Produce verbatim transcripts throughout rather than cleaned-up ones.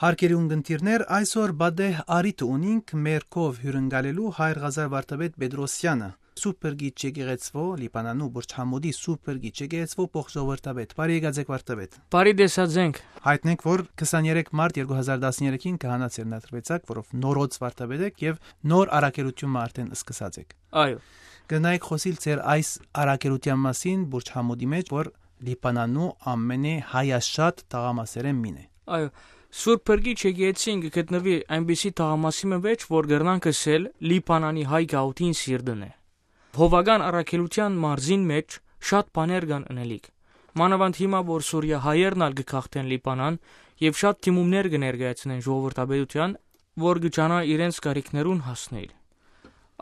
Հարգելի ունգընտիրներ, այսօր պատեհ առիթը ունինք մեր քով հիւրընկալելու Հայր Ղազար վարդապետ Պետրոսյանը, Սուրբ Փրկիչ եկեղեցւոյ, Լիբանանու Բուրջ Համուդի Սուրբ Փրկիչ եկեղեցւոյ փոխժողովրդապետ։ Բարի եկած եք, վարդապետ։ Բարի տեսած ենք։ Յայտնենք, որ քսաներեք մարտ երկու հազար տասներեքին քահանայ ձեռնադրուեցաք, որով նորոց վարդապետ եք եւ նոր առաքելութիւնը արդեն սկսած եք։ Այո։ Կրնայիք խօսիլ ձեր այս առաքելութեան մասին Բուրջ Համուդի մէջ, որ Լիբանանու ամենեհայաշատ թաղամասերէն մին է։ Այո, Սուրբ Փրկիչ եկեղեցին կը գտնուի այնպիսի թաղամասի մը մէջ, որ կրնանք ըսել Լիբանանի հայ գաղութին սիրտն է։ Հովական առաքելութեան մարզին մէջ շատ բաներ կան ընելիք։ Մանաւանդ հիմա, որ Սուրիա հայերն ալ կը գաղթեն Լիբանան եւ շատ դիմումներ կը ներկայացնեն ժողովրդապետութեան, որ կը ջանայ իրենց կարիքներուն հասնիլ։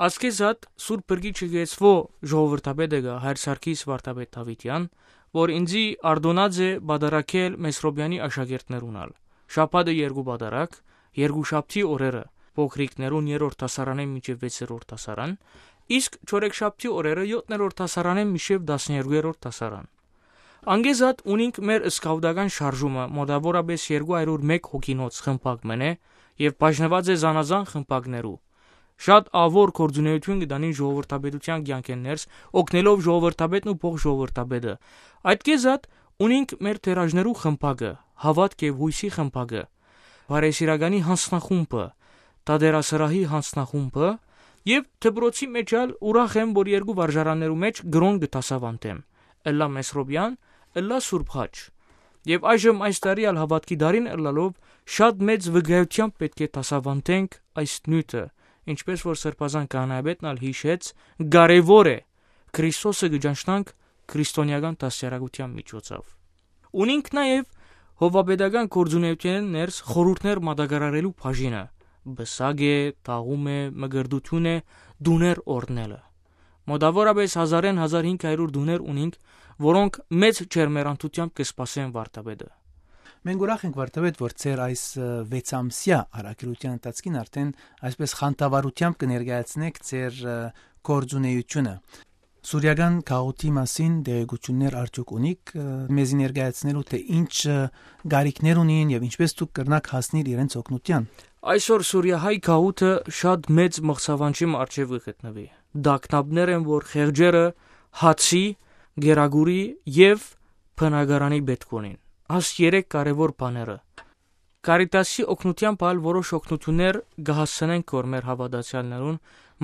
Ասկեզատ Սուրբ Փրկիչ եկեղեցւոյ ժողովրդապետը կայ Հայր Սարգիս վարդապետ Դաւիթեան, որ ինծի արտոնած է պատարագել Մեսրոպեանի աշակերտներուն ալ։ Շաբաթը երկու պատարագ, երկուշաբթի օրերը փոքրիկներուն երրորդ դասարանէն մինչեւ վեցերորդ դասարան, իսկ չորեքշաբթի օրերը յոթներորդ դասարանէն մինչեւ տասներկուերորդ դասարան։ Անգեզատ ունինք մեր սկաուտական շարժումը, մոտավորապես երկու հարիւր մէկ հոգինոց խմբակ մը է եւ բաժնուած է զանազան խմբակներու։ Շատ ավոր գործունեութիւն կը տանին ժողովրդապետութեան կեանքէն ներս, օգնելով ժողովրդապետն ու փոխժողովրդապետը։ Այդ կեզատ ունինք մեր թերաժներու խմբակը, Հաւատք եւ Յոյսի խմբակը, Բարեսիրականի յանձնախումբը, Թատերասրահի յանձնախումբը եւ դպրոցի մէջ ալ ուրախ եմ, որ երկու վարժարաններու մէջ կրօն կը դասաւանդեմ, ըլլայ Մեսրոպեան, ըլլայ Սուրբ Խաչ։ Եւ այժմ այս տարի ալ Հաւատքի տարին ըլլալով շատ մեծ վկայութեամբ պէտք է դասաւանդենք այս նիւթը, ինչպէս որ Սրբազան քահանայապետն ալ յիշեց, կարեւոր է Քրիստոսը կը ճանչնանք քրիստոնեական դաստիարակութեան միջոցով։ Ունինք նաեւ հովապետական գործունեութենէն ներս խորհուրդներ մատակարարելու բաժինը, պսակ է, թաղում է, մկրտութիւն է, տուներ օրհնելը։ Մոտավորապես հազարէն հազար հինգ հարիւր տուներ ունինք, որոնք մեծ ջերմեռանդութեամբ կը սպասեն վարդապետը։ Մենք ուրախ ենք, վարդապետ, որ ձեր այս, ը, վեցամսեայ առաքելութեան ընթացքին արդեն այսպես խանդավառութեամբ կը ներկայացնեք ձեր, ը, գործունեութիւնը։ Սուրիական գաղութի մասին տեղեկութիւններ արդեօք ունիք, ը, մեզի ներկայացնելու, թէ ինչ, ը, կարիքներ ունին եւ ինչպէս դուք կրնաք հասնիլ իրենց օգնութեան։ Այսօր Սուրիահայ գաղութը շատ մեծ մղձաւանջի մը առջեւ կը գտնուի։ Տագնապներ են, որ խեղճերը հացի, կերակուրի եւ բնակարանի պէտք ունին։ Այս երեք կարեւոր բաները։ Կարիտասի օգնութեամբ ալ որոշ օգնութիւններ կը հասցնենք կոր մեր հաւատացեալներուն,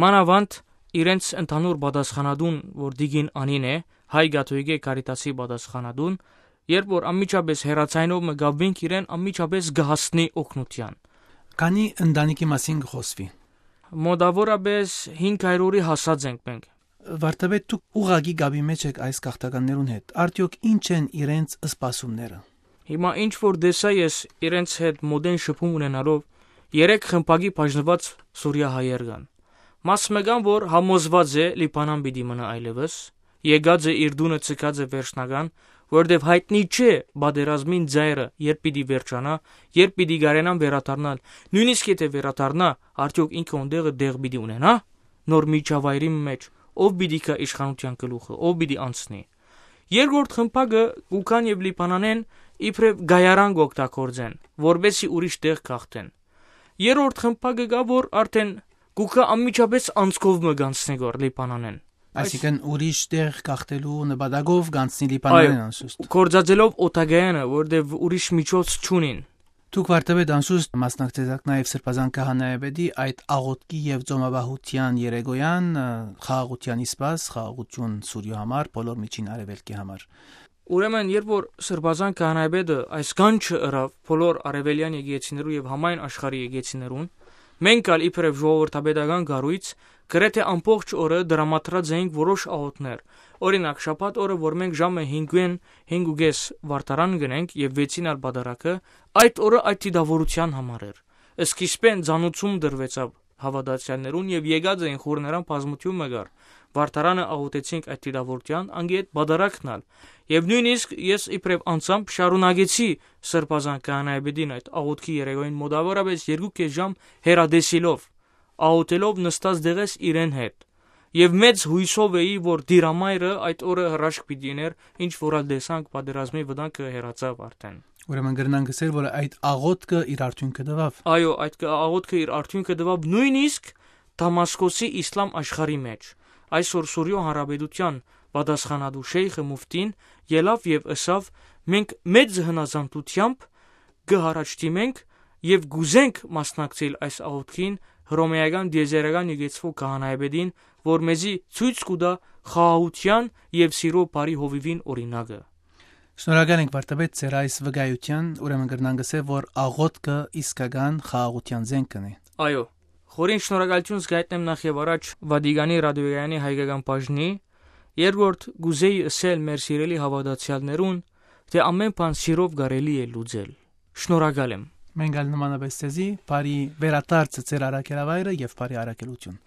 մանաւանդ իրենց ընդհանուր պատասխանատուն, որ տիկին Անին է, հայ կաթողիկէ Կարիտասի պատասխանատուն, երբ որ անմիջապես հեռաձայնով մը կապուինք իրեն, անմիջապես կը հասնի օգնութեան։ Քանի ընտանիքի մասին կը խօսուի։ Մոտավորապես հինգ հարիւրի հասած ենք մենք։ Վարդապետ, դուք ուղղակի կապի մէջ եք այս գաղթականներուն հետ։ Արդեօք ինչ են իրենց սպասումները։ Հիմա ինչ որ տեսայ ես, իրենց հետ մօտէն շփում ունենալով, երեք խմբակի բաժնուած Սուրիա հայեր կան։ Մաս մը կան, որ համոզված է Լիբանան պիտի մնայ այլեւս, եկած է իր տունը, ցկած է վերջնական, որտեւ յայտնի չէ պատերազմին ծայրը երբ պիտի վերջանայ, երբ պիտի կարենան վերադառնալ, նոյնիսկ եթէ վերադառնայ, արդեօք ինքը ոնտեղը տեղ պիտի ունենա՞, նոր միջավայրի մէջ, ով պիտի գայ իշխանութեան գլուխը, ով պիտի անցնի։ Երկրորդ խմբակը կու գան եւ Լիբանանէն իբրեւ գայարան կօգտագործեն, որպեսզի ուրիշ տեղ գաղթեն։ Երրորդ խմբակը կայ, որ արդեն կու գայ անմիջապես անցքով մը կանցնի գոր Լիբանանէն։ Այսինքն ուրիշ տեղ գաղթելու նպատակով կանցնի Լիբանանէն, այո, անշուշտ, գործածելով օտագայանը, որտեւ ուրիշ միջոց չունին։ Դուք, վարդապետ, անշուշտ մասնակցեցաք նաեւ Սրբազան քահանայապետի այդ աղօթքի եւ ծոմապահութեան երեկոյան, ը, խաղաղութեան սպաս, խաղաղութիւն Սուրիոյ համար, բոլոր Միջին Արեւելքի համար։ Ուրեմն, երբ որ Սրբազան քահանայապետը այս կանչը ըրաւ բոլոր արեւելեան եկեղեցիներու եւ համայն աշխարհի եկեղեցիներուն, մենք ալ իբրեւ ժողովրդապետական կառոյց գրեթէ ամբողջ օրը դրամատրած էինք որոշ աղօթքներ։ Օրինակ, շաբաթ օրը, որ մենք ժամը հինգ հինգ ու կես վարդարան գնենք եւ վեցին ալ պատարագը, այդ օրը այդ դիտավորութեան համար էր։ Սկիզբէն ծանուցում տրուեցաւ հաւատացեալներուն եւ եկած էին խուռներան բազմութիւն մը կար։ Վարդարանը աղօթեցինք այդ դիտավորութեան, անգետ պատարագն ալ։ Եւ նոյնիսկ ես իբրեւ անձամբ շարունակեցի Սրբազան քահանայապետին այդ աղօթքի երեկոյին մոտավորապես երկու կես ժամ հեռատեսիլով, աղօթելով նստած տեղէս իրեն հետ։ Եւ մեծ յոյսով էի, որ Տիրամայրը այդ օրը հրաշք պիտի ըներ, ինչ որ ալ տեսանք, պատերազմի վտանգը հեռացաւ արդեն։ Ուրեմն կրնանք ըսել, որ այդ աղոթքը իր արդիւնքը տուաւ։ Այո, այդ կը-, աղոթքը իր արդիւնքը տուաւ նոյնիսկ Դամասկոսի իսլամ աշխարհի մէջ։ Այսօր Սուրիոյ Հանրապետութեան պատասխանատու շեյխը, մուֆտին, ելաւ եւ ըսաւ. «Մենք մեծ հնազանդութեամբ կը յառաջդիմենք եւ կ'ուզենք մասնակցել այս աղոթքին հռոմէական տիեզերական եկեցուող քահանայապետին, որ մեզի ցոյց կու տայ խաղաղութեան եւ սիրո բարի հովիւին օրինակը»։ Շնորհակալ ենք, վարդապետ, ձեր այս վկայութեան, ուրեմն կրնանք ըսել, որ աղոթքը իսկական խաղաղութեան զենք կ'ընէ։ Այո, խորին շնորհակալութիւն զգայտնեմ նախ եւ առաջ Վատիկանի ռադիոյանի հայկական բաժնի, երկրորդ կ'ուզեի ըսել մեր սիրելի հաւատացեալներուն, թէ ամէն բան սիրով կարելի է լուծել։ Շնորհակալ եմ։ Մենք ալ նմանապես ձեզի, բարի վերադարձը ձեր առաքելավայրը եւ բարի առաքելութիւն։